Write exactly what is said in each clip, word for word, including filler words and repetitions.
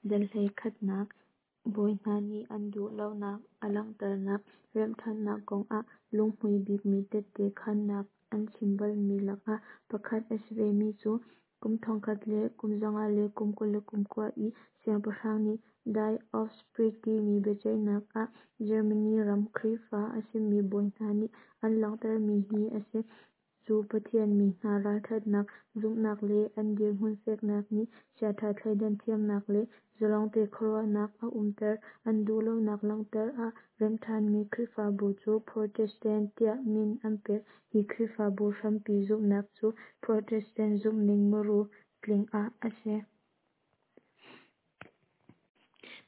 Dal hleikhatnak Bawi hna nih an duh lonak a langhternak Remhṭhannak kong ah lunghmui bikmi tette khaannak an chim balmi lakah pakhat a si vemi cu kum thongkhat le kum zanga le kum kul le kum kua i siangpahrang nih Diet of Spires timi biaceihnak ah Germany ram Khrihfa a simi bawi hna nih an langhtermi hi a si. Cu Pathian mi hna ralṭhatnak, zumhnak le an dirhmun feknak nih chiaṭha thleidan thiamnak le zalongte khuaruahnak a umter. An duhlonak langhter ah remhṭhanmi Khrihfabu cu Protestant tiah min an pek. Hi Khrihfabu hrampi zumhnak cu Protestant zumhning muru tling ah a si.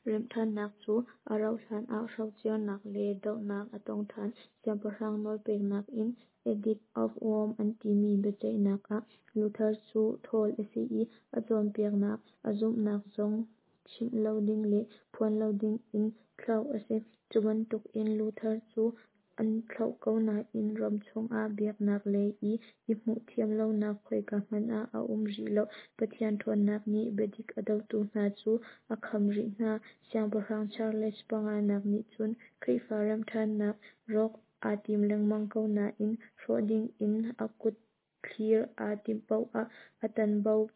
Remhṭhannak cu a rauh hlan ah hrocernak le dohnak a tong ṭhan. Siangpahrang nawlpeknak in Edict of Worms an timi biaceihnak ah Luther cu ṭhawl a si i a cawnpiaknak, a zumhnak zong chimh lo ding le phuan lo dingin thlauh a si. Cu bantukin Luther cu an thlauh ko nain ram chungah biaknak lei i i hmuh thiam lonak khoika hmanh ah a um rih lo. Pathian ṭhawnnak nih biadik a dotu hna cu a kham rih hna. Siangpahrang Charles panganak nih cun Khrihfa remhṭhannak rawk aa tim lengmang ko nain hrawh dingin a kut thlir aa timh paoh ah a tanbo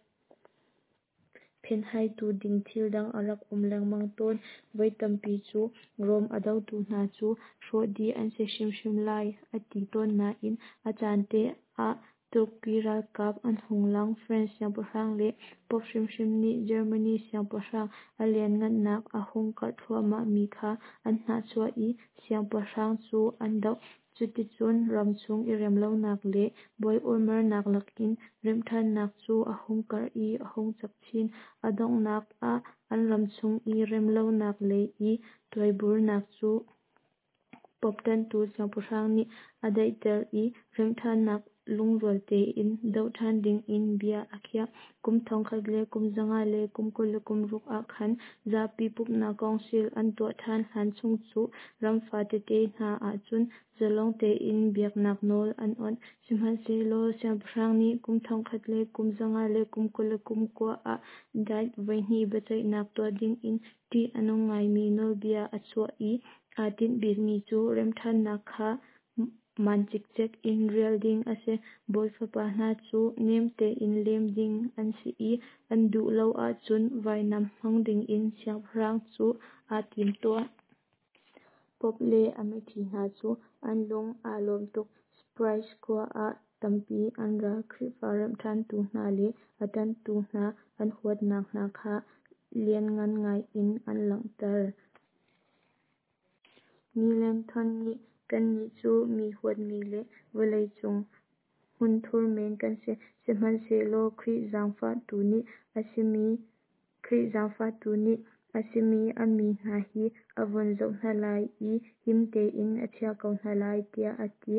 phenhaitu ding thil dang a rak um lengmang tawn. Voi tampi cu Rom a dotu hna cu hrawh dih an si hrimhrim lai a ti tawn nain a caan te ah Turkey ralkap an hung lang. France siangpahrang le Pope hrimhrim nih Germany siangpahrang a lianhngannak a hung karh thluahmahmi kha an hnahchuah i siangpahrang cu an doh. Cuticun ramchung i remlonak le buai urmarnak lakin remhṭhannak cu a hung karh i a hung cak chin. A donghnak ah an ramchung i remlonak lei i tuaiburnak cu Pope ṭanhtu siangpahrang nih a daihter i remhṭhannak lungrual tein doh ṭhan dingin bia a khiah. Kum thongkhat le kum zanga le kum kul le kum ruk ah khan zapi pumhnak council an tuah ṭhan hlan chung cu ram fatete hna ahcun zalong tein biaknak nawl an awnh. Sihmanhsehlaw siangpahrang nih kum thongkhat le kum zanga le kum kul le kum kua ah Diet voihnih biaceihnak tuah dingin ṭih a nung ngaimi nawlbia a chuah i aa tinh bikmi cu remhṭhannak kha maan cikcek in rial ding a si. Bawi fapa hna cu nem tein lem ding an si i an duh lo ahcun vainam hmang dingin siangpahrang cu aa timtuah. Pope le a miṭhi hna cu an lung aa lawm tuk. Spires khua ah tampi an ra. Khrihfa remhṭhantu hna le a ṭanhtu hna an huatnak hna kha lianngan ngai in an langhter. Melanchthon nih "Kannih cu mi huatmi le vawlei cung hmunthur men kan si, sihmanhsehlaw Khrih zaangfahtu nih a simi Khrih zaangfahtu nih a simi a mi hna hi a vun zoh hna lai i him tein a chiah ko hna lai," tiah a ti.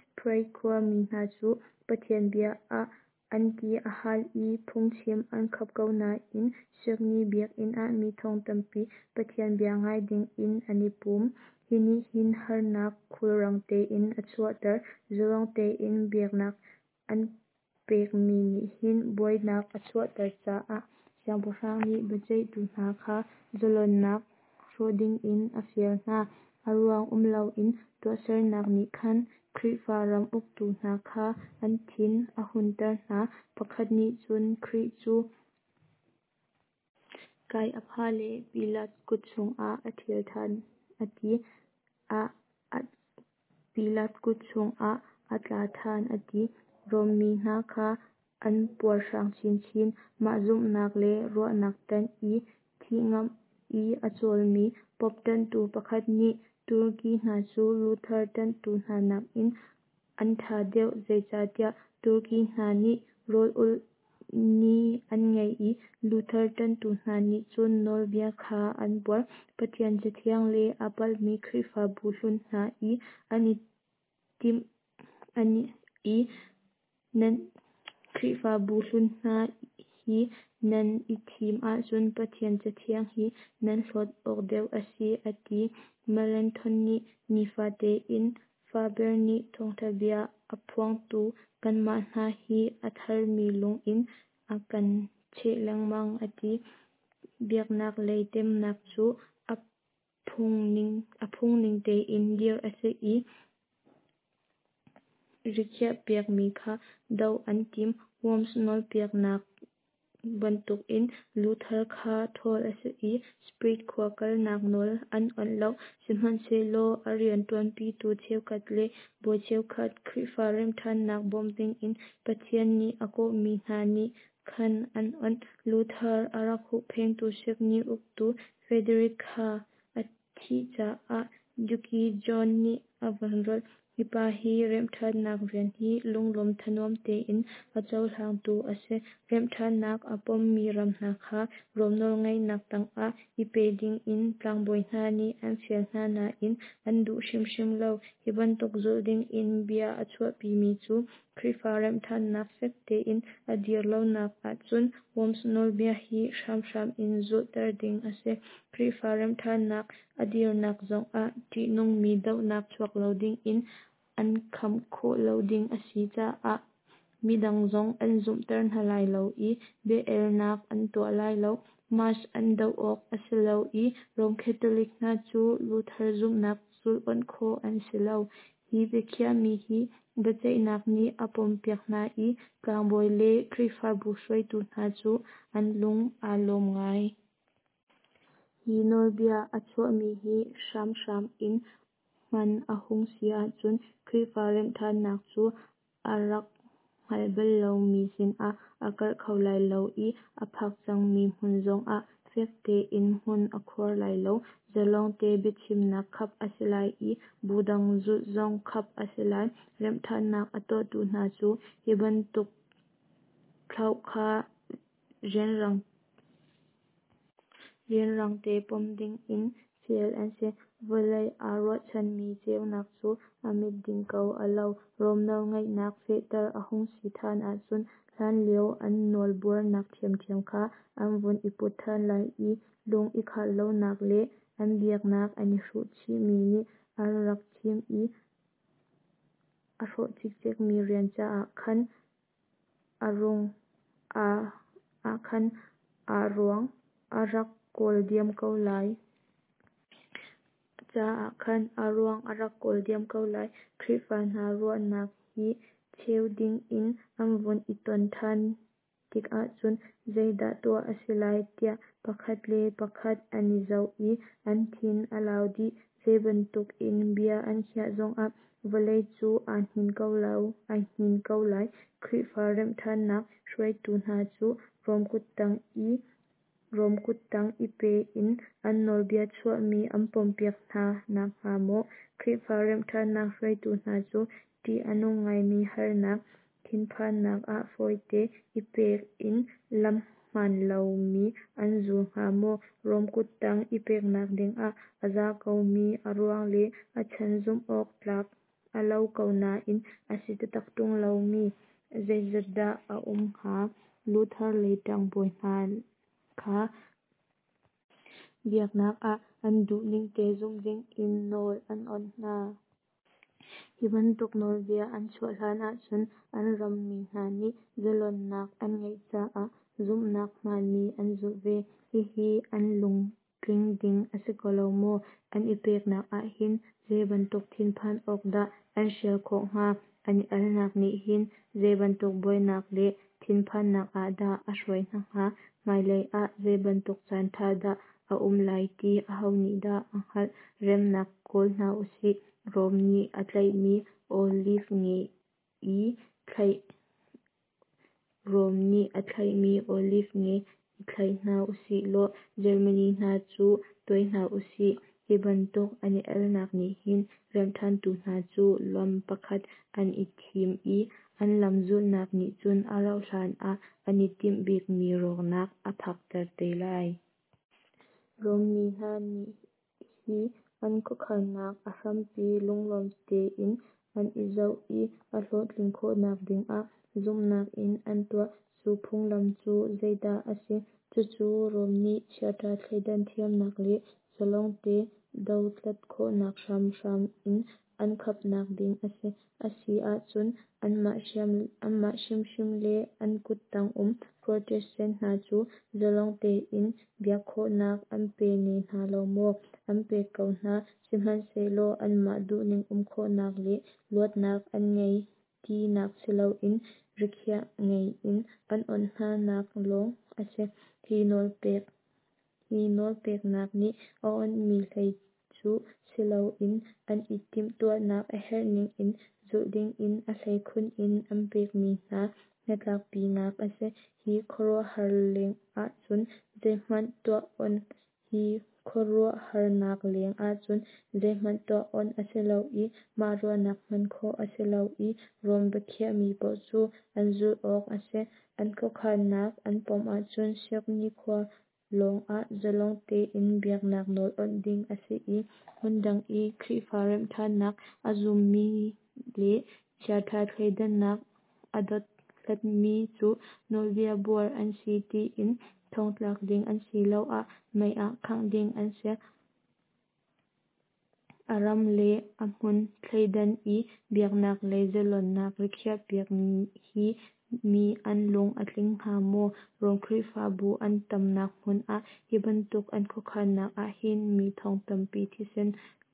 Spires khuami hna cu Pathian bia ah an ti a hal i phungchim an khap ko nain Siakni biakinn ah mi thong tampi Pathian bia ngai dingin an i pum. Hi nih hin harnak khulrang tein a chuahter. Zalong tein biaknak an pekmi nih hin buainak a chuahter caah siangpahrang nih biaceihtu hna kha zalonnak hrawh dingin a fial hna. A ruang um loin tuahsernak nih khan Khrihfa ram uktu hna kha an thin a hunter hna. Pakhat nih cun Khrih cu Kaiapha le Pilat kut chungah a ṭhial ṭhan a ti. Pilat kut chungah a tla ṭhan a ti. Rom mi hna kha an puarhrang chinchin. Mah zumhnak le ruahnak ṭanh i thih ngamh i a cawlmi Pope ṭanhtu pakhat nih Turkey hna cu Luther ṭanhtu hna nakin an ṭha deuh, zeicahtiah Turkey hna nih rawl ulh ni an ngei i Luther ṭanhtu hna nih cun nawlbia kha an buar. Pathian Cathiang le aa palhmi Khrihfabu hlun hna i an i timh i nan Khrihfabu hlun hna hi nan i thim ahcun Pathian Cathiang hi nan hlawt awk deuh a si, a ti. Melanchthon nih nifate in Faber nih thawngṭha bia a phuangtu kanmah hna hi a tharmi lung in a kan cheh lengmang, a ti. Biaknak lei temnak cu a phungning tein dirh a si i rikhiahpiakmi kha doh an timh. Worms nawlpeknak bantukin Luther kha ṭhawl a si i Sprit khua kalnak nawl an awnh lo. Sihmanhsehlaw a rianṭuanpitu cheukhat le bawi cheukhat, Khrihfa remhṭhannak bawm dingin Pathian nih a kawhmi hna nih khan an awnh. Luther a rak hupphengtu Saxony uktu Frederick kha a thih caah Duke John nih a von rolh. Hi pa hi remhṭhannak rian hi lunglawm thanuam tein a cohlangtu a si. Remhṭhannak a pommi ram hna kha Rom nawlngeihnak tangah i pe dingin tlangbawi hna nih an fial hna nain an duh hrimhrim lo. Hi bantuk zulh dingin bia a chuahpimi cu Khrihfa remhṭhannak fek tein a dir lonak ahcun Worms nawlbia hi hramhram in zulhter ding a si. Khrihfa remhṭhannak a dirnak zongah ṭihnungmi dohnak chuak lo dingin an kham khawh lo ding a si caah midang zong an zumhter hna lai lo i bia-elnak an tuah lai lo. Mass an doh awk a si lo i Rom Catholic hna cu Luther zumhnak zulh awnh khawh an si lo. Hi biakhiahmi hi biaceihnak nih a pompiak hna i tlangbawi le Khrihfabu hruaitu hna cu an lung aa lawm ngai. Hi nawlbia a chuahmi hi hramhram in hman a hung si ahcun Khrihfa remhṭhannak cu a rak hngal bal lomi sinah a karh kho lai lo i a phak cangmi hmun zongah fek tein hmun a khuar lai lo. Zalongte biachimnak khap a si lai i bu dang zulh zong khap a si lai. Remhṭhannak a tuahtu hna cu hi bantuk thlauh kha rianrangte pom dingin fial an si. Vawlei aa ruahchanmi ceunak cu a mit ding ko a lo. Rom nawlngeihnak fehter a hung si ṭhan ahcun hlanlio an nawlbuarnak ṭhiamṭhiam kha an vun i put ṭhan lai i lung i khah lonak le an biaknak an i hruh chihmi nih an rak thim i a hrawh cikcekmi rian caah khan a ruang a rak kawl diam ko lai. Caah khan a ruang a rak kawl diam ko lai. Khrihfa hna ruahnak i cheu dingin an vun i ton ṭhan tikah cun zeidah tuah a si lai tiah pakhat le pakhat an i zoh i an thin a lau dih. Zeibantuk in bia an khiah zongah vawlei cu aa hnin ko lai. Khrihfa remhṭhannak hruaitu hna cu Rom kuttang i pe in an nawlbia chuahmi an pompiak hna nakhnga maw, Khrihfa remhṭhannak hruaitu hna cu ṭih a nung ngaimi harnak, thinphannak ah fawite i pek in lam hmaan lomi an zul hnga maw? Rom kuttang i peknak dingah a za komi a ruang le a chan zumh awk tlak a lo ko nain a si taktak ṭung lomi zeizat dah a um hnga? Luther le tlangbawi hna kha biaknak ah an duhningte zumh dingin nawl an awnh hna. Hi bantuk nawlbia an chuah hlan ahcun an rammi hna nih zalonnak an ngeih caah zumhnak hmaanmi an zulh ve. Hihi an lungtling ding a si ko lo maw? An i peknak ahhin zeibantuk thinphan awk dah an hrial khawh hnga? An i alnak nih hin zeibantuk buainak le thinphannak ah dah a hruai hna hnga? Hmailei ah zeibantuk caan ṭha dah a um lai ti aho nih dah a hngalh? Remnak kawl hna usih. Rom nih a tlaihmi Oliv nge i thlaih Rom nih a thlaihmi oliv nge i thlaih hna usih law Germany hna cu tuai hna usih. Hi bantuk an i alnak nih hin remhṭhantu hna cu lam pakhat an i thim i an lam zulhnak nih cun a rauhhlan ah an i timh bikmi rawknak a phakter te lai. Rom mi hna nih hi an khuakhannak a hrampi lunglawm tein an i zoh i a hlawhtlin khawhnak dingah zumhnak in an tuah. Cu phunglam cu zeidah a si? Cucu Rom nih chiaṭha thleidan thiamnak le zalongte dothlat khawhnak hramhram in an khapnak ding a si. A si ahcun anmah hrimhrim le an kuttang um Protestant hna cu zalong tein biak khawhnak an pe ne hna lo maw? An pek ko hna. Sihmanhsehlaw anmah duhning um khawhnak le luatnak an ngei tinak siloin rikhiah ngei in an awnh hna nak lawng a si. Hi nawlpek hi nawlpeknak nih a awnhmi hlei cu siloin an i timhtuahnak a herhning in zulh dingin a hleikhun in an pekmi hna hnatlakpinak a si. Hi khuaruahhar leng ahcun zeihmanh tuah onh Hi khuaruahharnak leng ahcun zeihmanh tuah onh a si lo i mah ruahnak hman khawh a si lo i Rome biakhiahmi paoh cu an zulh awk a si. An khuakhannak an pom ahcun Siakni khua lawng ah zalong tein biaknak nawl awnh ding a si i hmundang i Khrihfa remhṭhannak a zummi le chiaṭha thleidannak a dothlatmi cu nawlbia buar an si tiin thongtlak ding asiloah mei ah khangh ding an si. A ram le a hmun thleidan i biaknak lei zalonnak rikhiahpiak hi mi an lung a tling hnga maw? Rom Khrihfabu an tamnak hmun ah hi bantuk an khuakhannak ahhin mi thong tampi thisen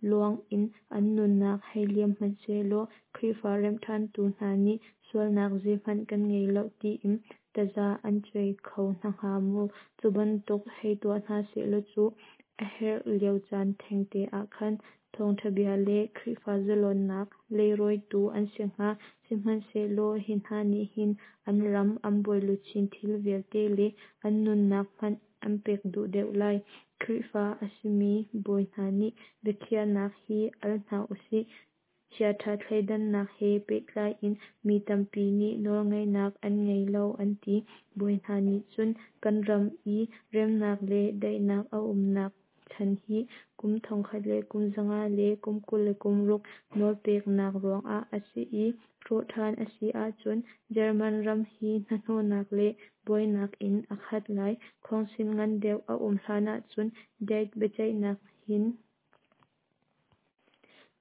luang in an nunnak hei liam hmanhsehlaw Khrihfa remhṭhantu hna nih sualnak zeihmanh kan ngei lo tiin taza an cuai kho hna hnga maw? Cu bantuk hei tuah hna sehlaw cu a herh lio caan thengte ah khan thawngṭha bia le Khrihfa zalonnak leirawitu an si hnga. Sihmanhsehlaw hi hna nih hin an ram, an bawiluchin thil vialte le an nunnak hmanh an pek duh deuh lai. Khrihfa a simi bawi hna nih biakhiahnak hi al hna usih. Chiaṭha thleidannak he pehtlai in mi tampi nih nawlngeihnak an ngei lo an ti. Bawi hna nih cun kan ram i remnak le daihnak a umnak chan hi kum thongkhat le kum zanga le kum kul le kum ruk nawlpeknak ruangah a si i hrawh ṭhan a si ahcun German ram hi hnahnawhnak le buainak in a khat lai. Khawngsil ngan deuh a um hlan ahcun Diet biaceihnak hin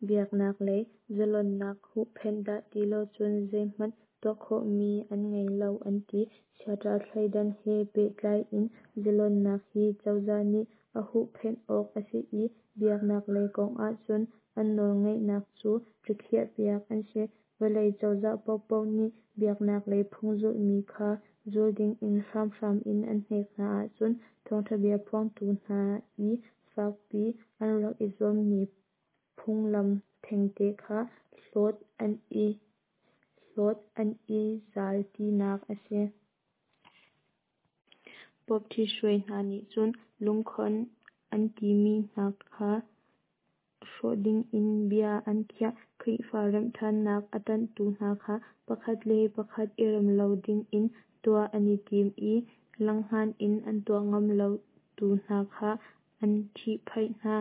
biaknak lei zalonnak huhphenh dah ti lo cun zeihmanh tuah khawhmi an ngei lo an ti. Chiaṭha thleidan he pehtlai in zalonnak hi cozah nih a huhphenh awk a si i biaknak lei kong ahcun an nawlngeihnak cu rikhiahpiak an si. Vawlei cozah paohpaoh nih biaknak lei phung zulhmi kha zul dingin hramhram in an hnek hna ahcun thawngṭha bia phuangtu hna i fakpi an rak i zuammi phunglam thengte kha hlawt an i hlawt an i zal tinak a si. Pope ṭhithruai hna nih cun lungkhon an timi hna kha hrawh dingin bia an khiah. Khrihfa remhṭhannak a ṭanhtu hna kha pakhat le pakhat i rem lo dingin tuah an i tim i langhngan in an tuah ngam lotu hna kha an ṭhihphaih hna.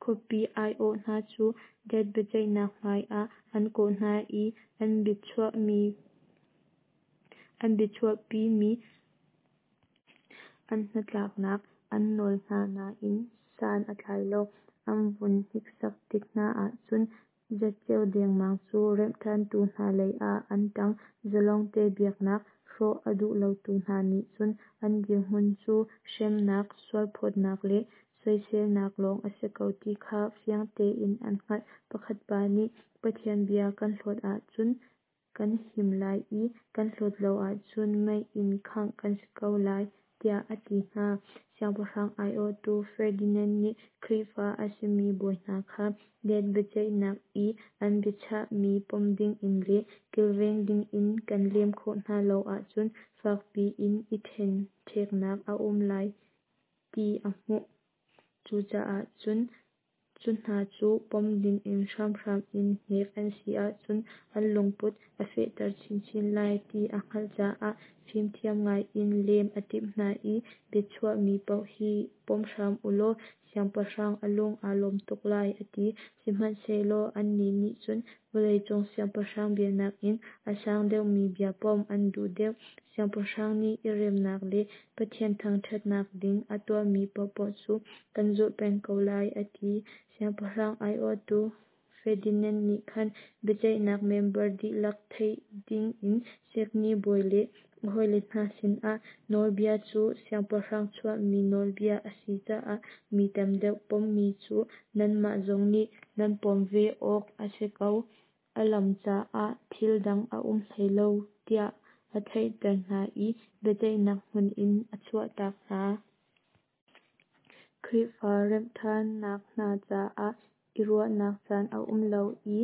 Khuapi aiawh hna cu Diet biaceihnak hmaiah an kawh hna i an biachuahpimi an hnatlaknak an nawl hna nain san a tlai lo. An vun hniksak tik hna ahcun zatceo dengmang cu remhṭhantu hna lei ah an ṭang. Zalongte biaknak hrawh a duh lotu hna nih cun an dirhmun cu hremnak, sualphawtnak le soiselnak lawng a si ko ti kha fiang tein an hngalh. Pakhat pa nih Pathian bia kan hlawt ahcun kan him lai i kan hlawt lo ahcun mei in khangh kan si ko lai tiah a ti hna. Siangpahrang aiawhtu Ferdinand nih Khrihfa a simi bawi hna kha Diet biaceihnak i an biachahmi pom dingin le kilveng dingin kan lem khawh hna lo ahcun fakpi in i ṭhenṭheknak a um lai ti a hmuh. Cucaah cun cu hna cu pom dingin hramhram in hnek an si ahcun an lungput a fehter chinchin lai ti a hngalh caah fimthiam ngaiin lem a timh hna i biachuahmi paoh hi pom hram ulaw siangpahrang a lung aa lawm tuk lai a ti. Sihmanhsehlaw annih nih cun vawleicung siangpahrang bia nakin a sang deuhmi bia pom an duh deuh. Siangpahrang nih i remnak le Pathian thangṭhatnak ding a tuahmi paohpaoh cu kan zulh peng ko lai a ti. Siangpahrang aiawhtu Ferdinand nih khan biaceihnak member dihlak theih dingin sikni bawi le a hawile hna sinah nawlbia cu siangpahrang chuahmi nawlbia a si caah mi tam deuh pommi cu nanmah zong nih nan pom ve awk a si ko, a lam caah thil dang a um hlei lo tiah a theihter hna i biaceihnak hmun in a chuahtak hna. Khrihfa remhṭhannak hna caah i ruahnak caan a um lo i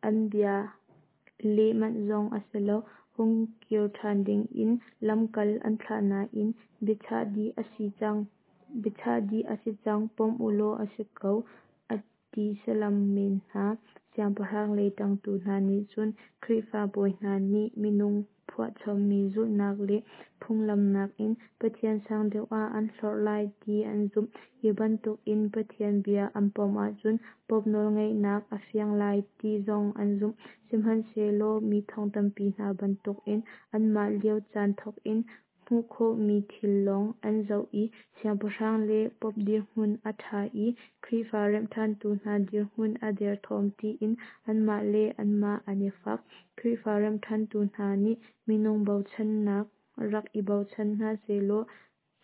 an bia leh manh zong a si lo. Hung kir ṭhan dingin lamkal an thlah nain biachah dih a si cang, biachah dih a si cang, pom ulaw a si ko a ti salam men hna. Siangpahrang lei ṭangtu hna nih cun Khrihfa bawi hna nih minung phuahchommi zulhnak le phunglam nakin Pathian sang deuh ah an hlorh lai ti an zumh. Hi bantukin Pathian bia an pom ahcun Pope nawlngeihnak a fiang lai ti zong an zumh. Sihmanhsehlaw mi thong tampi hna bantukin anmah lio caan thawkin hmuh khawhmi thil lawng an zoh i siangpahrang le Pope dirhmun a ṭha i Khrihfa remhṭhantu hna dirhmun a derthawm tiin anmah le anmah an i fak. Khrihfa remhṭhantu hna nih minung bochannak rak i bochan hna sehlaw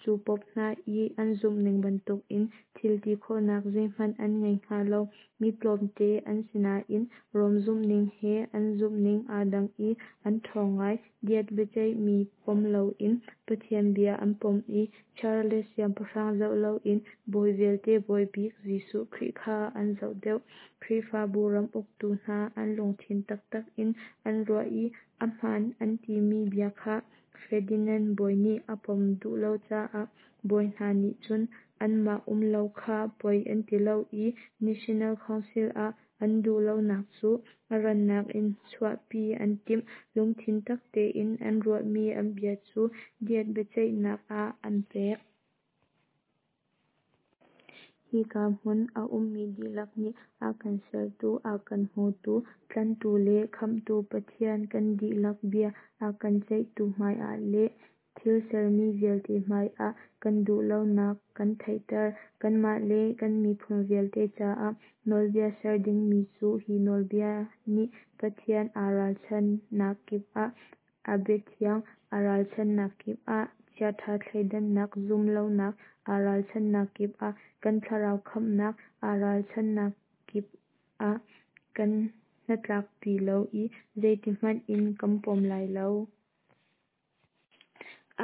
cu Pope hna i an zumhning bantukin thil ti khawhnak zeihmanh an ngei hnga lo. Mi tlawmte an si nain Rom zumhning he an zumhning aa dang i an ṭhawng ngai. Diet biaceihmi pom loin Pathian bia an pom i Charles siangpahrang zoh loin bawi vialte bawi bik Jesuh Khrih kha an zoh deuh. Khrihfabu ram uktu hna an lungthin taktak in an ruah i a hmaan an timi bia kha Ferdinand bawi nih a pom duh lo caah bawi hna nih cun anmah um lo kha poi an ti lo i National Council ah an duh lonak cu a rannak in chuahpi an timh. Lungthin tak tein an ruahmi an bia cu Diet biaceihnak ah an pek. Hika hmun a ummi dihlak nih a kan sertu, a kan hmutu, tlanhtu le khamhtu Pathian kan dihlak bia a kan ceihtu hmaiah le thil sermi vialte hmaiah kan duh lonak kan theihter. Kanmah le kan miphun vialte caah nawlbia ser dingmi cu hi nawlbia nih Pathian aa ralchanhnak kip ah, a biathiang aa ralchanhnak kip ah, chiaṭha thleidannak zumh lonak aa ralchanhnak kip ah, kan thlarau khamhnak aa ralchanhnak kip ah kan hnatlakpi lo i zeitihmanh in kan pom lai lo.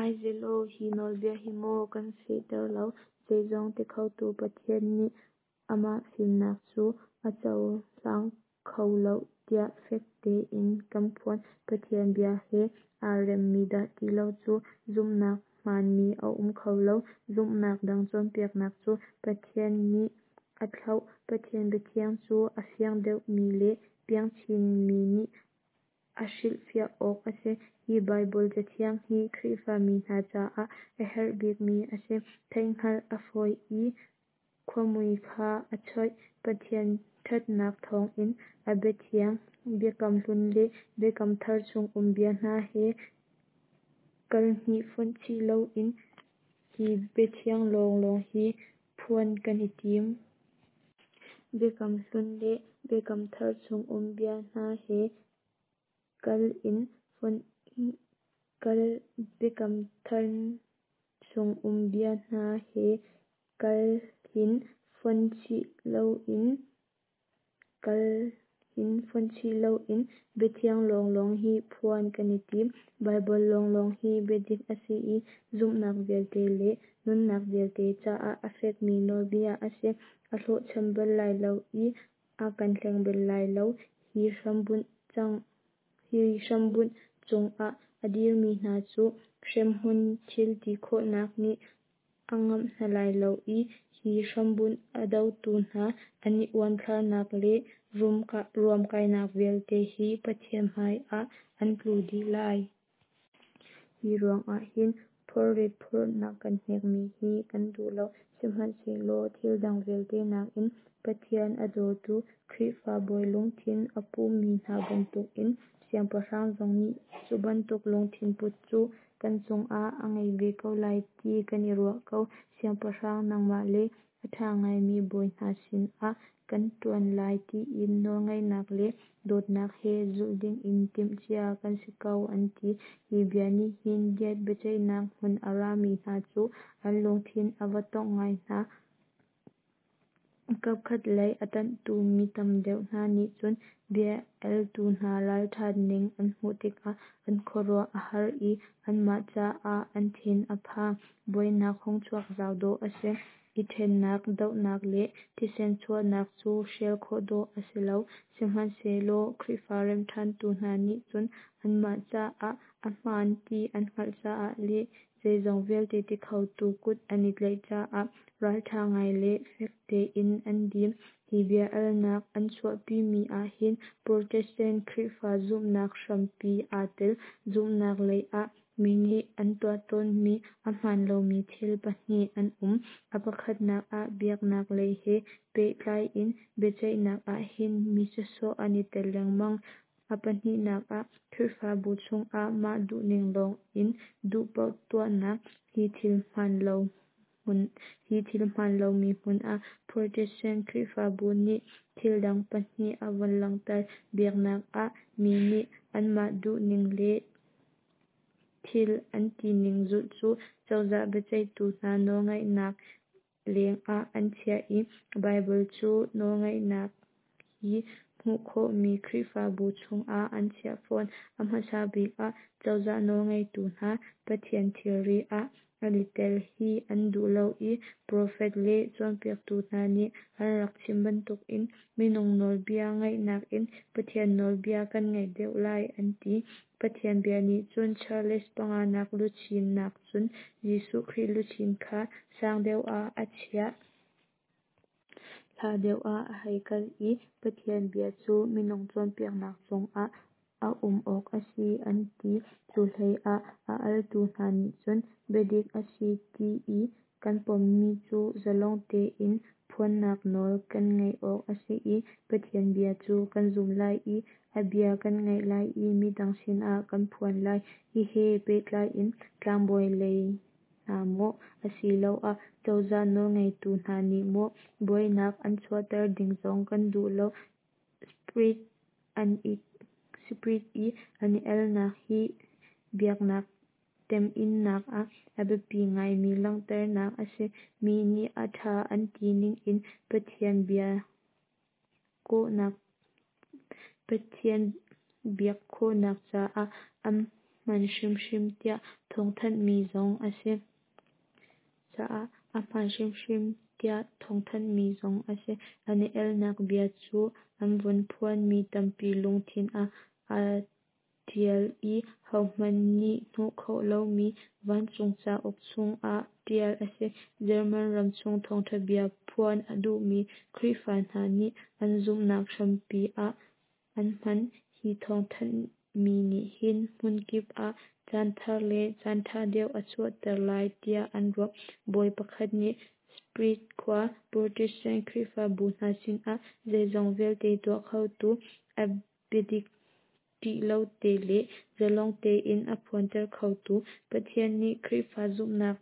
Aize law, hi nawlbia hi maw kan fehter lo? Zeizong tikhotu Pathian nih amah fimnak cu a cohlang kho lo tiah fek tein kan phuan. Pathian bia he aa remmi dah ti lo cu zumhnak hmaanmi a um kho lo. Zumhnak dang cawnpiaknak cu Pathian nih a thlauh. Pathian biathiang cu a fiang deuhmi le piang chinmi nih a hrilhfiah awk a si. Hi Baibal Cathiang hi Khrihfami hna caah a herh bikmi a si. Theihhngalh a fawi i khuamui kha a choih. Pathian ṭhatnak thawngin a biathiang Biakam Hlun le Biakam Thar chung um bia hna he kalhnih fonh chih loin hi biathiang lawnglawng hi phuan kan i tim. Biakam Hlun le Biakam Thar chung um bia hna he kal in fonh kal Biakam Thar chung um bia hna he kalhin fonh chih loin kalhin fonh chih loin biathiang lawnglawng hi phuan kan i tim. Baibal lawnglawng hi biadik a si i zumhnak vialte le nunnak vialte caah a fekmi nawlbia a si. A hlawhcham bal lai lo i a kan hleng bal lai lo. Hi hrambunh cang hi hrambunh cungah a dirmi hna cu hremhmun thil ti khawhnak nih a ngamh hna lai lo i hi hrambunh a dotu hna an i uanthlarnak le ruamkainak vialte hi Pathian hmaiah an tlu dih lai. Hi ruangah hin phorrit phurh na kan hnekmi hi kan duh lo. Sihmanhsehlaw thil dang vialte nakin Pathian a dawtu Khrihfa bawi lungthin a pumi hna bantukin siangpahrang zong nih cu bantuk lungthin put cu kan cungah a ngei ve ko lai ti kan i ruah ko. Siangpahrang nangmah le a ṭha ngaimi bawi hna sinah kan ṭuan lai tiin nawlngaihnak le dawtnak he zulh dingin timh cia kan si ko, an ti. Hi bia nih hin Diet biaceihnak hmun a rami hna cu an lungthin a va tongh ngai hna. Kapkhat lei a ṭanhtu mi tam deuh hna nih cun bia altu hna ralṭhat ning an hmuh tikah an khuaruah a har i anmah caah an thin a phang. Buainak hung chuak zau dawh a si. I ṭhennak, dohnak le thisen chuahnak cu hrial khawh dawh a si lo. Sihmanhsehlaw Khrihfa remhṭhantu hna nih cun anmah caah a hmaan ti an hngalh caah le zeizong vialte ti khotu kut an i tlaih caah ralṭha ngai le fek tein an dir. Hi bia alnak an chuahpimi ahhin Protestant Khrihfa zumhnak hrampi aa tel. Zumhnak lei ah mi nih an tuah tawnmi a hmaan lomi thil pahnih an um. A pakhatnak ah biaknak lei he pehtlai in biaceihnak ahhin mi sawsawh an i tel lengmang. A pahnihnak ah Khrihfabu chungah mah duhning lawng in duh paoh tuahnak. Hi thil hmaan lo hmun hi thil hmaan lomi hmun ah Protestant Khrihfabu nih thil dang pahnih a vun langhter. Biaknak ah mi nih anmah duhning le thil an tining zulh cu cozah biaceihtu hna nawlngeihnak lengah an chiah i Baibal cu nawlngeihnak hi hmuh khawhmi Khrihfabu chungah an chiah fawn. A hmasa bik ah cozah nawlngeitu hna Pathian thilri ah an i tel hi an duh lo i profet le cawnpiaktu hna nih an rak chim bantukin minung nawlbia ngaih nakin Pathian nawlbia kan ngaih deuh lai an ti. Pathian bia nih cun Charles panganak luchin nakcun Jesuh Khrih luchin kha sang deuh ah a chiah. Hla deuh ah a hei kal i Pathian bia cu minung cawnpiaknak cungah a um awk a si an ti. Cu hleiah a altu hna nih cun biadik a si ti i kan pommi cu zalong tein phuannak nawl kan ngeih awk a si i Pathian bia cu kan zumh lai i a bia kan ngaih lai i midang sinah kan phuan lai. Hi he pehtlai in tlangbawi lei hna maw asiloah cozah nawlngeitu hna nih maw buainak an chuahter ding zong kan duh lo. Sprit an i Sprit i an i alnak hi biaknak teminnak ah a biapi ngaimi langhternak a si. Mi nih a ṭha an ti ningin Pathian bia kawhnak Pathian biak khawhnak caah a hman hrimhrim tiah thawngthanhmi zong a si. Caah a hmaan hrimhrim tiah thawngthanhmi zong a si. An i alnak bia cu an vun phuanmi tampi lungthin ah aa ṭial i hohmanh nih hnuh khawh lomi vancung cauk chungah ṭial a si. German ram chung thawngṭha bia phuan a duhmi Khrihfa hna nih an zumhnak hrampi ah an hman. Hi thawngthanhmi nih hin hmunkip ah caan thar le caan ṭha deuh a chuahter lai tiah an ruah. Bawi pakhat nih Sprit khua Protestant Khrihfabu hna sinah zeizong vialte tuah khotu, a biadik ṭih lo te le zalong tein a phuanter khotu Pathian nih Khrihfa zumhnak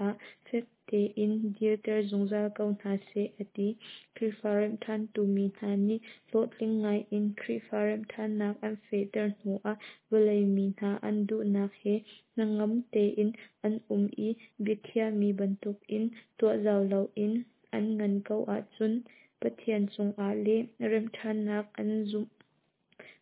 ah fek tein dirter zungzal ko hna seh, a ti. Khrihfa remhṭhantu mi hna nih hlawhtling ngaiin Khrihfa remhṭhannak an fehter hnuah vawlei mi hna an duhnak he hnangam tein an um i biakhiahmi bantukin tuah zau loin an ngan ko ahcun Pathian cungah le remhṭhannak an zumh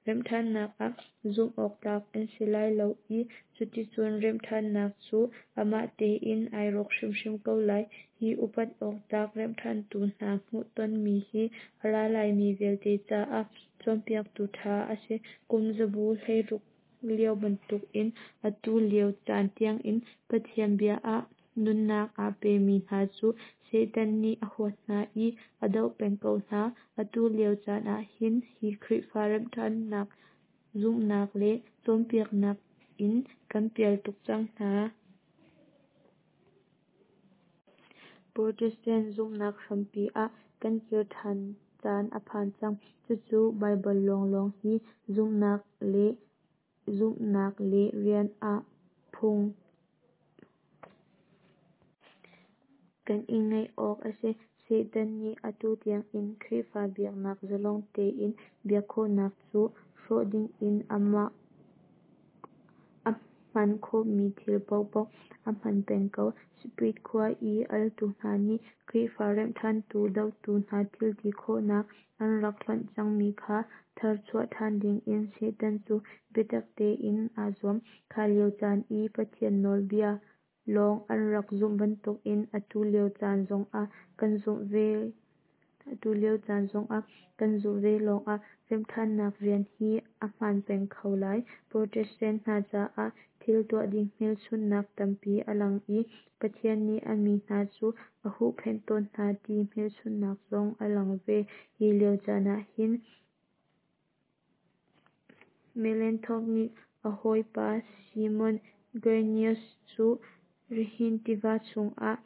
remhṭhannak ah zumh awktlak an si lai lo i cuticun remhṭhannak cu amah tein ai rawk hrimhrim ko lai. Hi upat awktlak remhṭhantu hna hmuhtonmi hi a ra laimi vialte caah cawnpiaktu ṭha a si. Kum zabu hleiruk lio bantukin atu lio caan tiangin Pathian bia ah nunnak aa pemi hna cu Satan nih a huat hna i a doh peng ko hna. Atu lio caan ahhin hi Khrihfa remhṭhannak zumhnak le cawnpiaknak in kan pial tuk cang hna. Protestant zumhnak hrampi ah kan kir ṭhan caan a phan cang. Cucu Baibal lawnglawng hi zumhnak le zumhnak le rian ah phung kan i ngeih awk a si. Satan nih atu tiangin Khrihfa biaknak zalong tein biak khawhnak cu hrawh dingin amah a hman khawhmi thil paohpaoh a hman peng ko. Split khua i altu hna nih Khrihfa remhṭhantu dotu hna thilti khawhnak an rak hlonh cangmi kha tharchuah ṭhan dingin Satan cu biatak tein aa zuam. Kha lio caan i Pathian nawlbia lawng an rak zumh bantukin atu lio caan zongah kan zumh ve atu lio caan zongah kan zumh ve lawngah remhṭhannak rian hi a hmaan peng kho lai. Protestant hna caah thil tuah ding hmelchunhnak tampi a lang i Pathian nih a mi hna cu a huhphenh tawn hna ti hmelchunhnak zong a lang ve. Hi lio caan ah hin Melanchthon nih a hawipa Simon Grynaeus cu Rhine tiva chungah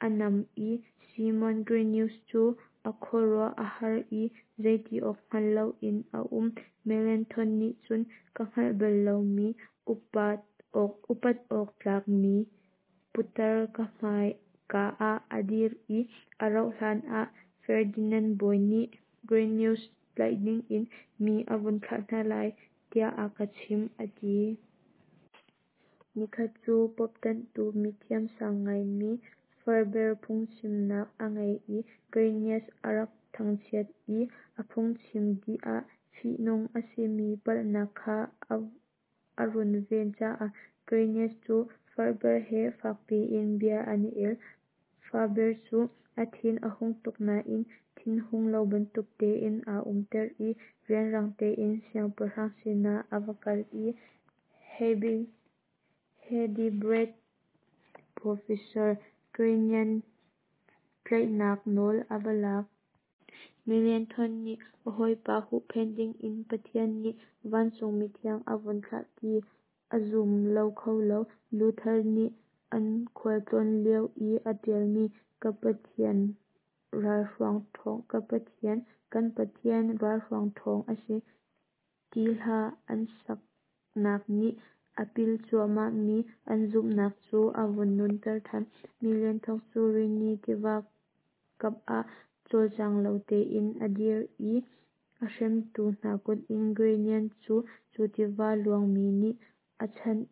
a nam i Simon Grynaeus cu a khuaruah a har i zeiti awk hngal loin a um. Melanchthon nih cun ka hngalh bal lomi upat awk upat awk tlakmi putar ka hmaika ah a dir i a rauh hlan ah Ferdinand bawi nih Grynaeus tlaih dingin mi a vun thlah hna lai tiah a ka chimh, a ti. Nikhat cu Pope ṭanhtu mithiam sang ngaimi Faber phungchimnak a ngei i Grynaeus a rak thangchiat i a phungchim dih ah fihnung a simi palhnak kha a runven caah Grynaeus cu Faber he fak piin bia an i el. Faber cu a thin a hung tuk nain thinhung lo bantuk tein aa umter i rianrang tein siangpahrang sinah a va kal i Heidelberg Professor Grynaeus tlaihnak nawl a va lak. Melanchthon nih a hawipa huhphenh dingin Pathian nih vancung mithiang a vun thlah ti a zum lo kho lo. Luther nih an khualtlawn lio i a ṭialmi Ka Pathian ralhruang ṭhawng Ka Pathian kan Pathian ralhruang ṭhawng a si ti hla an saknak nih a pil cuahmahmi an zumhnak cu a vun nunter ṭhan. Melanchthon cu Rhine tiva kam ah cawlcang lo tein a dir i a hremtu hna kut in Grynaeus cu cu tiva luangmi nih a chanh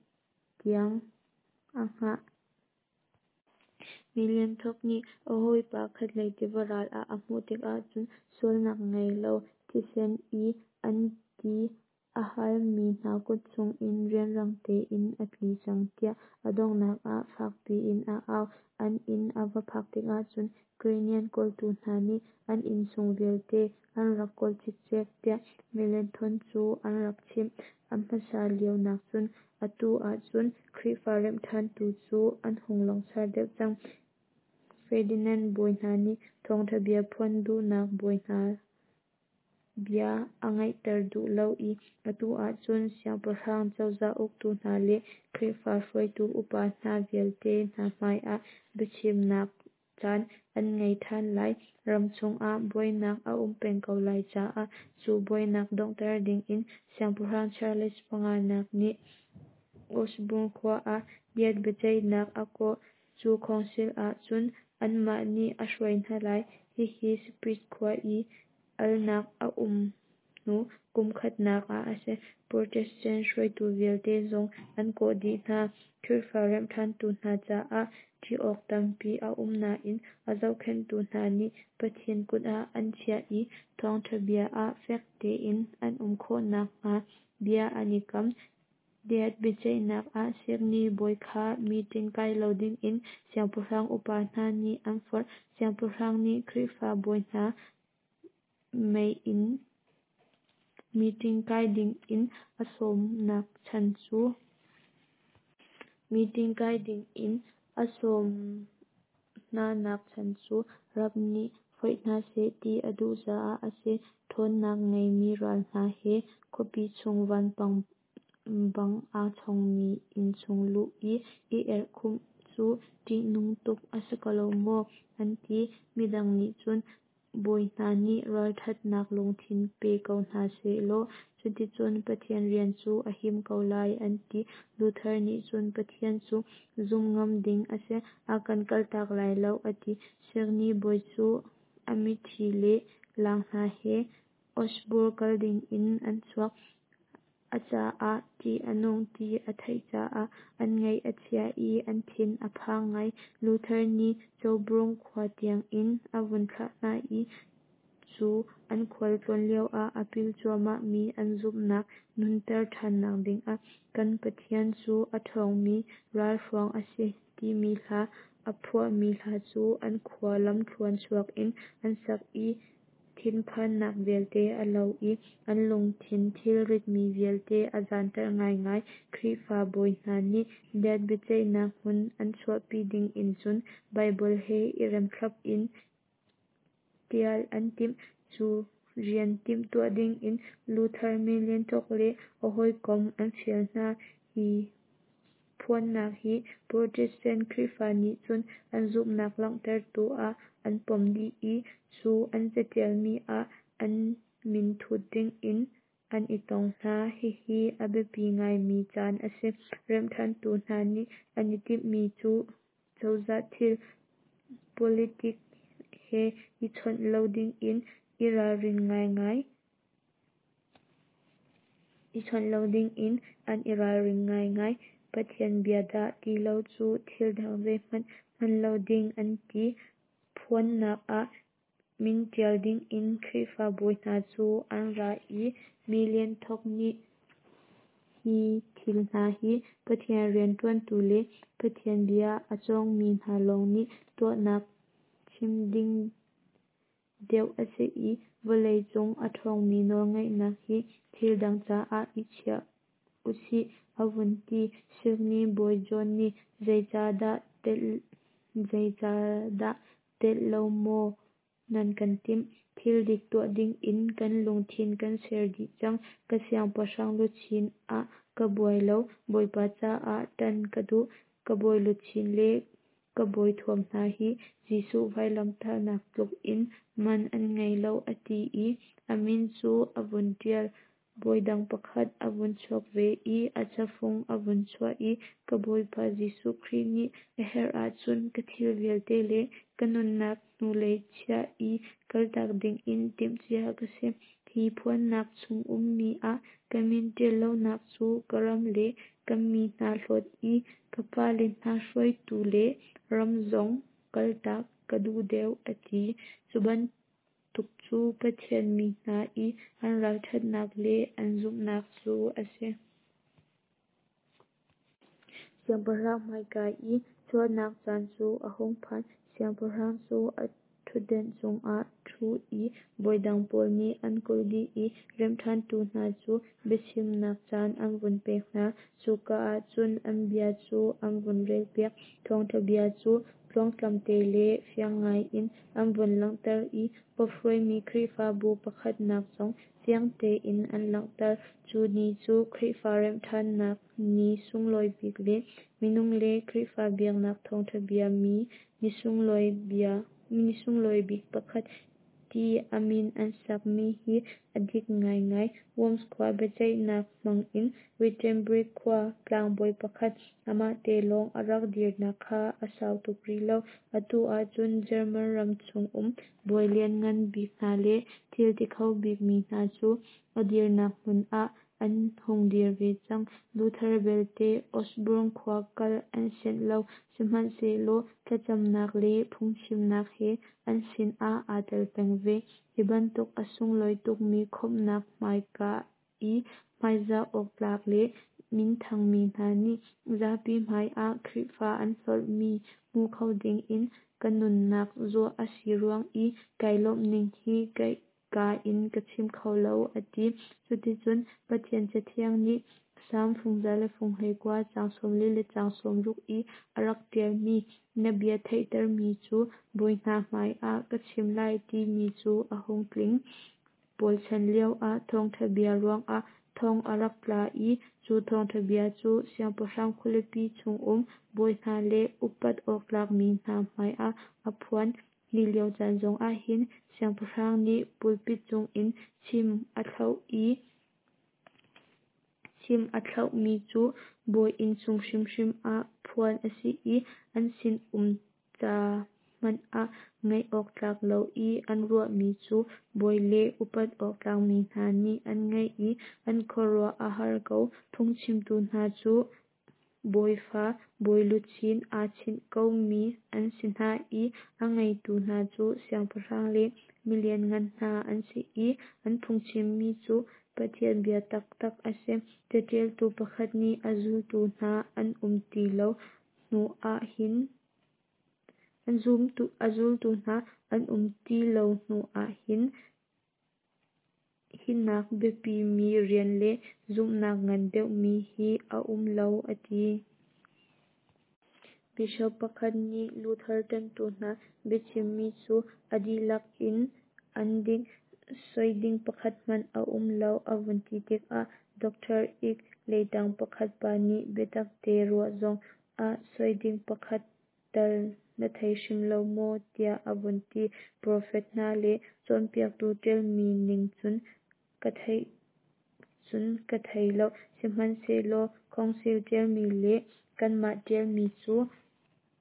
tiang a hngah. Melanchthon nih a hawipa khatlei tiva ral ah a hmuh tikah cun sualnak ngei lo thisen i an ti a halmi hna kut chungin rianrang tein a tli cang tiah a donghnak ah fak piin a au. An inn a va phak tikah cun Grynaeus kawltu hna nih an innchung vialte an rak kawl cikcek tiah Melanchthon cu an rak chimh. A hmasa lio nakcun atu ahcun Khrihfa remhṭhantu cu an hung langsar deuh cang. Ferdinand bawi hna nih thawngṭha bia phuan duhnak bawi hna bia a ngaihter duh lo i atu ahcun siangpahrang cozah uktu hna le Khrihfa hruaitu upa hna vialte hna hmaiah biachimnak caan an ngei ṭhan lai. Ram chungah buainak a um peng ko lai caah cu buainak donghter dingin Siangpahrang Charles panganak nih Augsburg khua ah Diet biaceihnak a kawh. Cu council ah cun anmah nih a hruai hna lai. Hihi Split khua i alnak a um hnu kum khatnak ah a si. Protestant hruaitu vialte zong an kawh dih hna. Khrihfa remhṭhantu hna caah ṭih awk tampi a um nain a zohkhenhtu hna nih Pathian kut ah an chiah i thawngṭha bia ah fek tein an um khawh nakhnga bia an i kam. Diet biaceihnak ah Signi bawi kha meeting kai lo dingin siangpahrang upa hna nih an forh. Siangpahrang nih Khrihfa bawi hna mei in meeting kai dingin a sawmnak chan cu meeting kai dingin a sawm hnanak chan cu rap nih foih hna seh ti a duh caah a si. Ṭhawnnak ngeimi ral hna he khuapi chung vanpang bang aa chongmi inn chung luh i i erhkhumh cu ṭihnung tuk a si ko lo maw, an ti. Midang nih cun Bawi hna nih ralṭhatnak lungthin pe ko hna sehlaw cuticun Pathian rian cu a him ko lai an ti. Luther nih cun Pathian cu zumh ngam ding a si, a kan kaltak lai lo a ti. Signi bawi cu a miṭhi le laang hna he Augsburg kal dingin an chuak. A caah ṭih a nung ti a theih caah an ngaih a chia i an thin a phang ngai. Luther nih Coburg khua tiangin a vun thlah hna i cu an khual tlawn lioah a pil cuahmah mi an zumhnak nunter ṭhannak dingah "Kan Pathian cu a ṭhawngmi ralhruang a si" timi hla a phuahmi hla cu an khua lamthluan chuak in an sak i thinphannak vialte a lo i an lungthin thilritmi vialte a zanter ngaingai. Khrihfa bawi hna nih Diet biaceihnak hmun an chuahpi dingin cun Baibal he i rem thlap in ṭial an timh. Cu rian timhtuah dingin Luther, Melanchthon le a hawikom an fial hna. Hi phuannak hi Protestant Khrihfa nih cun an zumhnak langhtertu ah an pom dih i cu an caṭialmi ah an minthut dingin an i tong hna. Hihi a biapi ngaimi caan a si. Remhṭhantu hna nih an i timhmi cu cozah thil politik he i chawnh lo dingin i ralrin ngaingai i chawnh lo dingin an i ralring ngaingai. Pathian bia dah ti lo cu thil dang zeihmanh hman lo ding an ti. Phuannak ah min ṭial dingin Khrihfa bawi hna cu an ra i Melanchthon nih hi thil hna hi Pathian rianṭuantu le Pathian bia a cawngmi hna lawng nih tuahnak chim ding deuh a si i vawlei cung a ṭhawngmi nawlngeihnak hi thil dang caah i chiah usih a vun ti. Signi bawi John nih zeicahdah zeicahdah telh lo maw nan kan timh? Thil dik tuah dingin kan lungthin kan ser dih cang. Ka siangpahrang luchin ah ka buai lo, Bawipa caah ṭan ka duh. Ka bawi luchin le ka bawi thuam hna hi Jesuh vailamtahnak tluk in man an ngei lo a ti i a min cu a vun ṭial. Bawi dang pakhat a vun chuak ve i a cafung a vun chuah i ka Bawipa Jesuh Khrih nih a herh ahcun ka thil vialte le ka nunnak hnulei chiah i kaltak dingin timhcia ka si. Hi phuannak chung ummi ah ka min ṭial lonak cu ka ram le ka mi hna hlawt i ka pale hna hruaitu le ram zong kaltak ka duh deuh a ti. Cu bantuk cu Pathian mi hna i an ralṭhatnak le an zumhnak cu a si. Siangpahrang hmaika i chuahnak caan cu a hung phan. Siangpahrang cu a ṭhutdenh cungah a ṭhu i bawi dang pawl nih an kulh dih i remhṭhantu hna cu biachimnak caan an vun pek hna. Cuka ah cun an bia cu an vun relpiak. Thawngṭha bia cu tluangtlam te le fiang ngaiin an vun langhter i Pope hruaimi Khrihfabu pakhatnak zong fiang tein an langhter. Cu ni cu Khrihfa remhṭhannak ni sunglawi bik le minung le Khrihfa biaknak thawngṭha bia mi ni sunglawi bik pakhat ti a min an sakmi hi a dik ngaingai. Worms khua biaceihnak hmangin Wittenberg khua tlangbawi pakhat amah te lawng a rak dirnak kha a sau tuk rih lo. Atu ahcun German ram chung um bawi lianngan bik hna le thil ti kho bikmi hna cu a dirnak hmun ah an hung dir ve cang. Luther belte Augsburg khua kal an sianh lo, sihmanhsehlaw thlacamnak le phungchimnak he an sinah aa tel peng ve. Hi bantuk a sunglawi tukmi khawmhnak hmaika i hmaizah awk tlak le minthangmi hna nih zapi hmaiah Khrihfa an hlorhmi hmu kho dingin ka nunnak zuah a si ruang i kai lawmhning hi kaa in ka chim kho lo, a ti. Cuticun Pathian Cathiang nih Salm fungza le funghleikua caang sawmli le caang sawmruk i a rak ṭialmi na bia theihtermi cu bawi hna hmaiah ka chim lai timi cu a hung tling. Paul chan lioah thawngṭha bia ruangah thong a rak tla i cu thawngṭha bia cu siangpahrang khualipi chungum bawi hna le upat awk tlakmi hna hmaiah a phuan. Hi lio caan zong ahhin siangpahrang nih pulpit cungin chim a thlauh i chim a thlauhmi cu bawi inn chung hrimhrim ah phuan a si i an sin-um ca hmanh ah ngaih awk tlak lo i an ruahmi cu bawi le upat awk tlakmi hna nih an ngaih i an khuaruah a har ko. Phungchimtu hna cu bawifa bawiluchin aa chinh komi an si hna i a ngaitu hna cu siangpahrang le milianngan hna an si i an phungchimmi cu Pathian bia taktak a si. Caṭialtu pakhat nih a zultu hna an um ti lo hnu ahhin a zultu hna an um ti lo hnu ahhin hinak biapimi rian le zumhnak ngan deuhmi hi a um lo a ti. Bishop pakhat nih Luther ṭanhtu hna biachimmi cu a dihlak in an dik, soi ding pakhat hmanh a um lo a vun ti tikah Doctor Eck leiṭang pakhat pa nih biatak te ruah zong ah soi ding pakhat tal na thei hrim lo maw tiah a vun ti. Profet hna le cawnpiaktu ṭialmi ning cun ka theih cun ka thei lo, sihmanhsehlaw Council ṭialmi le kanmah ṭialmi cu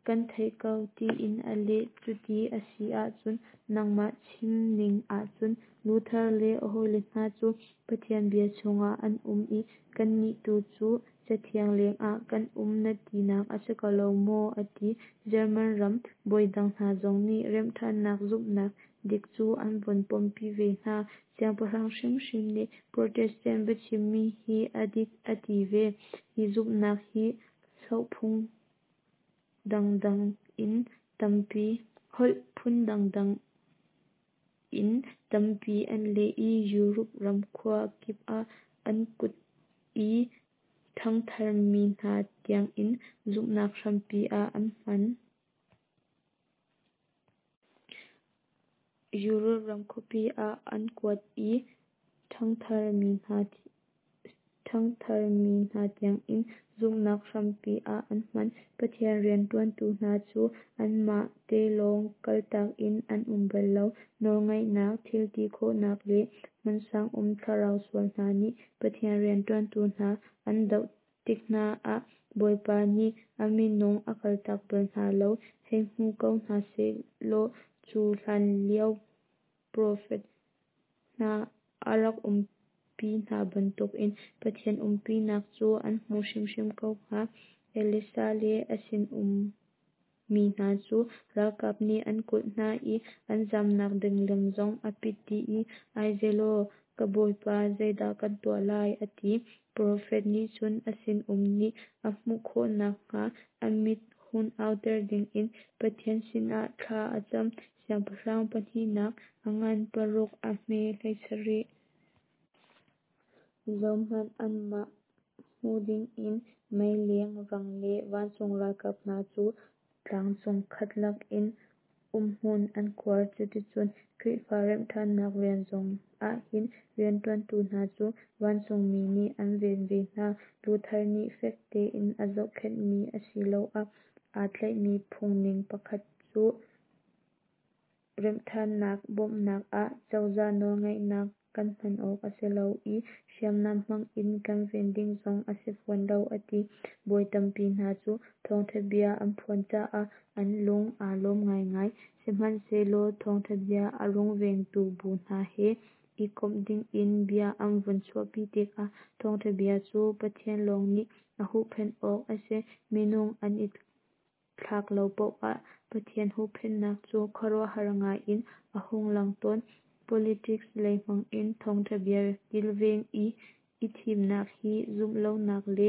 kan theih ko tiin a leh. Cuti a si ahcun nangmah chimning ahcun Luther le a hawile hna cu Pathian bia chungah an um i kannih tu cu Cathiang lengah kan um na tinak a si ko lo maw a ti. German ram bawi dang hna zong nih remhṭhannak zumhnak dik cu an vun pompi ve hna. Siangpahrang hrimhrim nih Protestant biachimmi hi a dik a ti ve. Hi zumhnak hi hlohphung dangdang in tampi holh phun dangdang in tampi an leh i Europe ram khua kip ah an kuat i ṭhangtharmi hna tiangin zumhnak hrampi ah an hman. Europe ram khuapi ah an kuat i ṭhangtharmi hna ṭhangtharmi hna tiangin zumhnak hrampi ah an hman. Pathian rianṭuantu hna cu anmah te lawng kaltak in an um bal lo. Nawlngeihnak, thilti khawhnak le hmunsang um thlarau sual hna nih Pathian rianṭuantu hna an doh tik hna ah Bawipa nih a minung a kaltak bal hna lo. Hei hmu ko hna sehlaw cu hlanlio profet hna a rak umpi hna bantukin Pathian umpinak cu an hmuh hrimhrim ko hnga. Elisha le a sinum mi hna cu ralkap nih an kulh hna i an zamnak ding lam zong a pit dih i "Aize law, ka bawipa, zeidah kan tuah lai?" a ti. Profet nih cun a sinum nih a hmuh khawh nakhnga a mit hun auter dingin Pathian sinah thla a cam. Siangpahrang pahnihnak a ngan paruk a hme hleisarih. Zohhmanh, anmah hmu dingin mei leng rang le vancung ralkap hna cu tlangcung khat lakin umhmun an khuar. Cuticun Khrihfa remhṭhannak rian zong ahhin rianṭuantu hna cu vancungmi nih an ven ve hna. Luther nih fek tein a zohkhenhmi asiloah aa tlaihmi phungning pakhat cu remhṭhannak bawmhnak ah cozah nawlngeihnak kan hman awk a si lo i hriamnam hmangin kan ven ding zong a si fawn lo a ti. Bawi tampi hna cu thawngṭha bia an phuan caah an lung aa lawm ngaingai. Sihmanhsehlaw thawngṭha bia a rungvengtu bu hna he i komh dingin bia an vun chuahpi tikah thawngṭha bia cu Pathian lawng nih a huhphenh awk a si, minung an i thlak lo paoh ah Pathian huhphenhnak cu khuaruahhar ngai in a hung lang tawn. Politics lei hmangin thawngṭha bia kilven i i thimnak hi zumhlonak le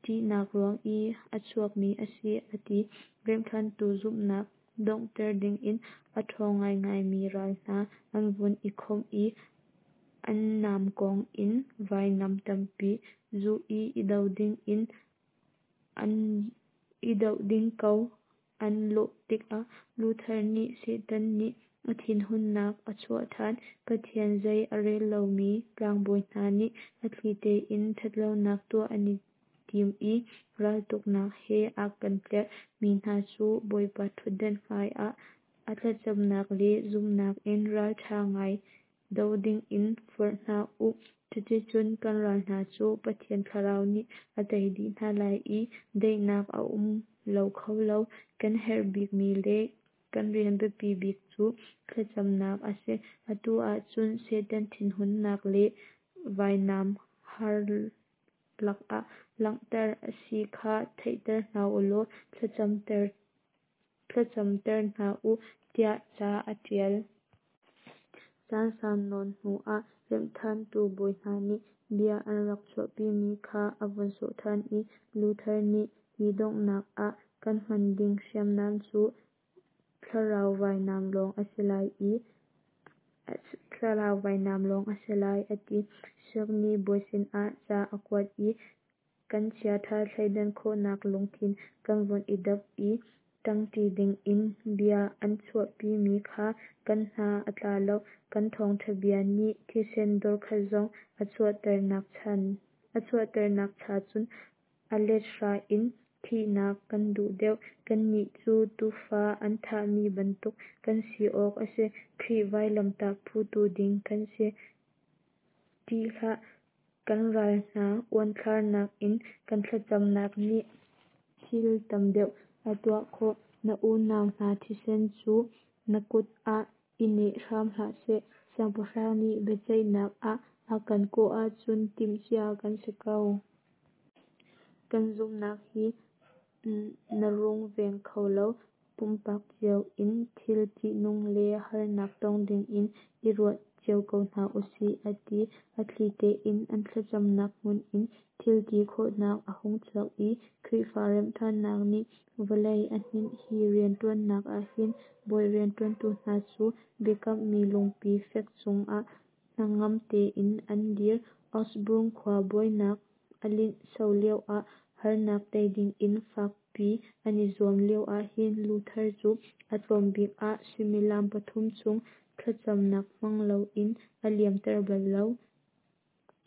ṭihnak ruang i a chuakmi a si a ti. Remhṭhantu zumhnak donghter dingin a ṭhawng ngaingaimi ral hna an vun i khawmh i an namkawng in vainam tampi zuh i i do dingin an i doh ding ko an lawh tikah Luther nih Satan nih a thinhunnak a chuah ṭhan. Pathian zei a rel lomi tlangbawi hna nih a thli tein ṭhatlonak tuah an i tim i raltuknak he a kan tlerh mi hna cu Bawipa ṭhutdan hmai ah A thlacamnak le zumhnak in ralṭha ngai do dingin forh hna u. Cuticun kan ral hna cu Pathian Thlarau nih a tei dih hna lai i daihnak a um lo kho lo. Kan herh bikmi le kan rian biapi bik cu thlacamnak a si. Atu ahcun Satan thinhunnak le vainam har lakah langhter a si kha theihter hna u law thlacamter hna u, tiah ca a ṭial. Caan sau nawn hnu ah remhṭhantu bawi hna nih bia an rak chuahpimi kha a vun sawh ṭhan i Luther nih hi donghnak ah kan hman ding hriamnam cu thlarau vainam lawng a si lai i thlarau vainam lawng a si lai a ti. Siangni bawi sinah ca a kuat i kan chiaṭha thleidan khawhnak lungthin kan vun i dap i ṭangṭi dingin bia an chuahpimi kha kan hna a tla lo. Kan thawngṭha bia nih thisen dorkhat zong a chuahternak cha cun a let hra in thihnak kan duh deuh. Kannih cu tuufa an thahmi bantuk kan si awk a si. Khrih vailamtah putu ding kan si. Ṭih hlah, kan ral hna uanthlarnak in kan thlacamnak nih thil tam deuh a tuah khawh. Na unau hna thisen cu na kut ah i neh hram hlah seh. Siangpahrang nih biaceihnak ah a kan kawh ahcun timhcia kan si ko. Kan zumhnak hi na rungveng kho lo. Pumpak cio in thil ṭihnung le harnak tong dingin i ruat cio ko hna usih, a ti. A thli tein an thlacamnak hmun in thil ti khawhnak a hung chuak i Khrihfa remhṭhannak nih vawlei a hninh. Hi rianṭuannak ahhin bawi rianṭuantu hna cu biakammi lungpi fek cungah hnangam tein an dir. Augsburg khua buainak a linhso lioah harnak tei dingin fakpi an i zuam lio ahhin Luther cu a tlawmbik ah suimilam pathum chung thlacamnak hmang loin a liamter bal lo.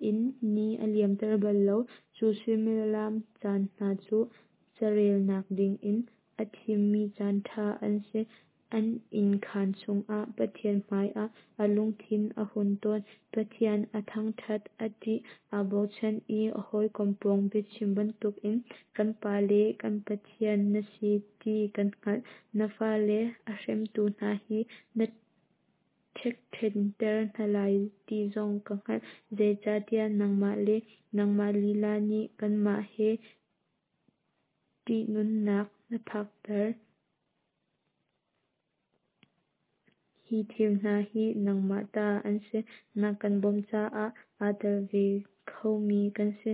In ni a liamter bal lo. Cu suimilam caan hna cu carelnak dingin a thimmi caan ṭha an si. An innkhan chungah Pathian hmaiah a lungthin a hun tawn. Pathian a thangṭhat, a ṭih, aa bochan i a hawikom pawng biachim bantukin kan Pa le kan Pathian na si ti kan hngalh. Na fale a hremtu hna hi na ṭhekṭhenter hna lai ti zong ka hngalh. Zeicahtiah nangmah le nangmah lila nih kanmah hi ṭihnunnak na phakter. Hi thil hna hi nangmah ta an si. Na kan bawmh caah aa tel ve khomi kan si.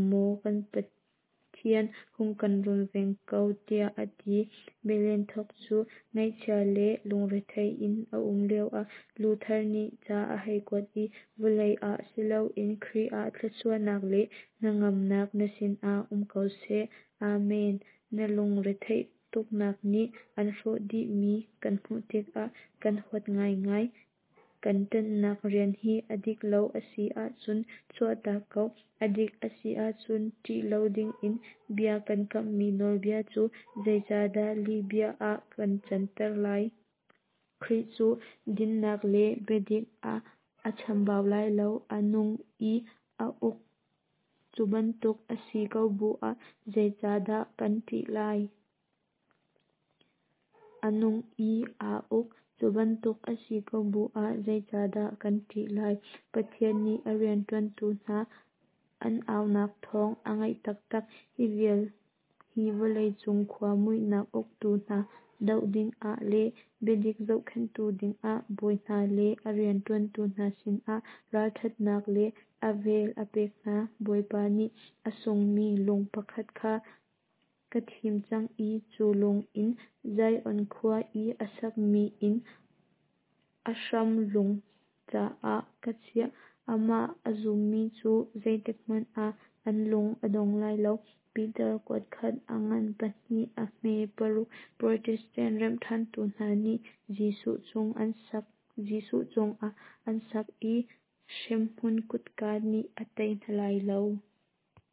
Maw kan Pathian, hung kan runveng ko, tiah a ti. Melanchthon cu ngaihchia le lungrethei in a um lioah Luther nih ca a hei kuat i vawlei ah si loin Khrih ah thluachuahnak le hnangamnak na sinah um ko seh. Amen. Na lungretheih tuknak nih an hrawh dihmi kan hmuh tikah kan huat ngaingai. Kan ṭanhnak rian hi a dik lo a si ahcun chuahtak ko. A dik a si ahcun ṭih lo dingin bia kan kamhmi nawlbia cu zeicahdah lihbia ah kan canter lai? Khrih cu dinnak le biadik ah a chambau lai lo. A nung i aa uk. Cu bantuk a si ko bu ah zeicahdah kan ṭih lai? A nung i aa uk. Cu bantuk a si ko bu ah zeicahdah kan ṭih lai? Pathian nih a rianṭuantu hna an aunak thawng a ngaih taktak. Hi vial hi vawleicung khua muihnak uktu hna doh dingah le biadik zohkhenhtu dingah bawi hna le a rianṭuantu hna sinah ralṭhatnak le a vel a pek hna. Bawipa nih a sungmi lung pakhat kha ka thim cang i cu lung in Zion khua i a sakmi inn a hram lung caah ka chiah. Amah a zummi cu zeitikhmanh ah an lung a dong lai lo. Peter kuatkhat a ngan pahnih a hme paruk. Protestant remhṭhantu hna nih Jesuh cungah an sak i hremhmun kutka nih a tei hna lai lo.